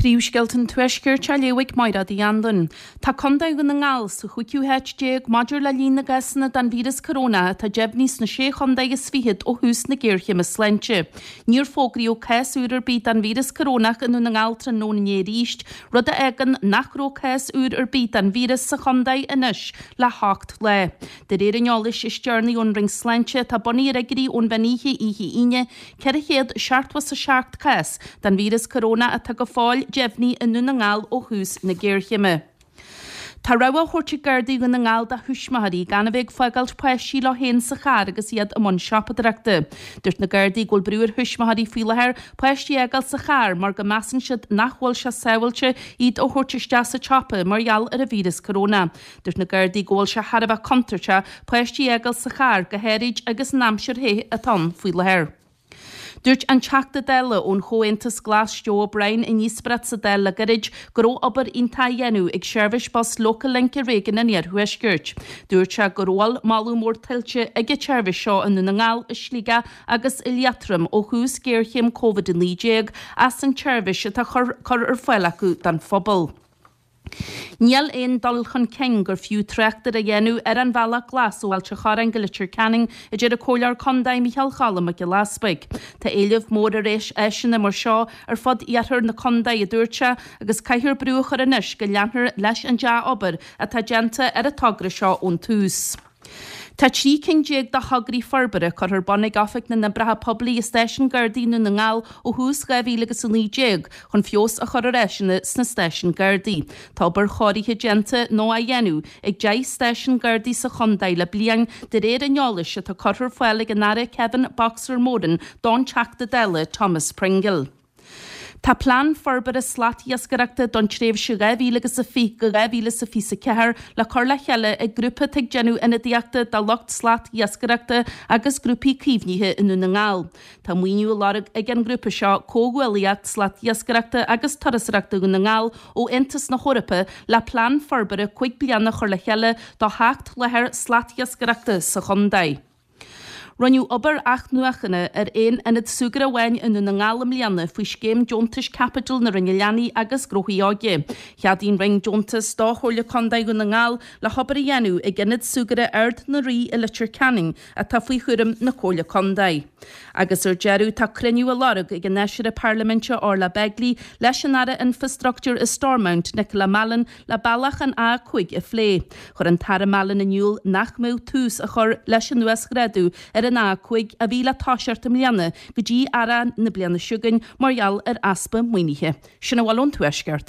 Príomhscéalta an Tuaiscirt á léamh ag Máiréad Uí Anluain. Tá Contae Dhún na nGall sa chúigiú háit maidir le líon na gcásanna den víreas corónach atá deimhnithe sna sé chontae is fichead ó thús na géarchéime sláinte. Níor fógraíodh cás úr ar bith den víreas corónach i nDún na nGall tráthnóna inné arís, rud a fhágann nach raibh cás úr ar bith den víreas sa chontae anois le hocht lá. De réir an eolais is deireanaí ón Roinn Sláinte, atá bunaithe ar fhigiúirí ón mheán oíche oíche Aoine, 477 cás den víreas corónach atá go fóill deimhnithe i nDún na nGall ó thús na géarchéime. Tá rabhadh á thabhairt ag Gardaí Dhún na nGall do thuismitheoirí gan a bheith ag fágáilt páistí leo féin sa charr agus iad i mbun siopadóireachta. Dúirt na Gardaí go bhfuil brú ar thuismitheoirí faoi láthair páistí a fhágáil sa charr mar go measann siad nach bhfuil sé sábháilte iad a thabhairt isteach sa tsiopa mar gheall ar an víreas corónach. Dúirt na Gardaí go bhfuil sé thar a bheith contúirteach páistí a fhágáil sa charr, go háirid agus an aimsir the atá ann faoi láthair. Dúirt an Teachta Dála ón Chomhaontas Glas Joe O'Brien i ndíospóireacht sa Dáil le gairid go raibh obair iontach á dhéanamh ag seirbhís bus Local Link i réigiún an Iarthuaiscirt. Dúirt sé go bhfuil moladh mór tuillte ag an tseirbhís seo i nDún na nGall, i Sligeach agus i Liatroim ó thús géarchéim Covid-19 as an tseirbhís atá curtha ar fáil acu don phobal. Níl aon dul chun cinn gur fiú trácht air á dhéanamh ar an Bhealach Glas ó Ailt an Chorráin go Leitir Ceanainn, a deir an Comhairleoir Contae Micheál Choilm Mac Giolla Easpaig. Tá éileamh mór ar áiseanna mar seo ar fud iarthar na contae, a dúirt sé, agus caithfear brú a chur anois go leanfar leis an dea-obair atá déanta ar an togra seo ón tús. Tá 13 cinn de thograí forbartha curtha ar bun ag Oifig na nOibreacha Poiblí i Stáisiún Gardaí i nDún na nGall ó thús 2019 chun feabhas a chur ar áiseanna sna stáisiúin Gardaí. Tá obair chóirithe déanta nó á dhéanamh ag 10 stáisiún Gardaí sa chontae le bliain de réir an eolais atá curtha ar fáil ag an Aire Kevin 'Boxer' Moran don Teachta Dála Thomas Pringle. Tá plean forbartha slatiascaireachta don tréimhse 2020-2024 le cur le chéile ag grúpa atá ag déanamh ionadaíochta do lucht slatiascaireachta agus grúpaí caomhnaithe i nDún na nGall. Tá maoiniú á lorg ag an ngrúpa seo, Comhghuaillíocht Slatiascaireachta agus Turasóireachta Dhún na nGall, ó Aontas na hEorpa le plean forbartha 5 bliana a chur le chéile do sheacht láthair slatiascaireachta sa chontae. Rinneadh obair athnuachana ar aon ionad súgartha amháin i nDún na nGall i mbliana faoi Scéim Deontais Caipitil na Roinne Leanaí agus Gnóthaí Óige. Cheadaigh an Roinn deontas do Chomhairle Contae Dhún na nGall le hobair a dhéanamh ag Ionad Súgartha Ard na Rí i Leitir Ceanainn atá faoi chúram na Comhairle Contae. Agus ar deireadh, tá cruinniú á lorg ag an Fheisire Parlaiminte Orla Begley leis an Aire Infreastruchtúir i Stormont, Nicola Mallon, le bealach an A5 a phlé. Chuir an tAire Mallon in iúl nach mbeadh tús á chur leis an uasghrádú ar an A5 a bhí le toiseacht i mbliana go dtí earrach na bliana seo chugainn mar gheall ar easpa maoinithe. Sin a bhfuil ón Tuaisceart.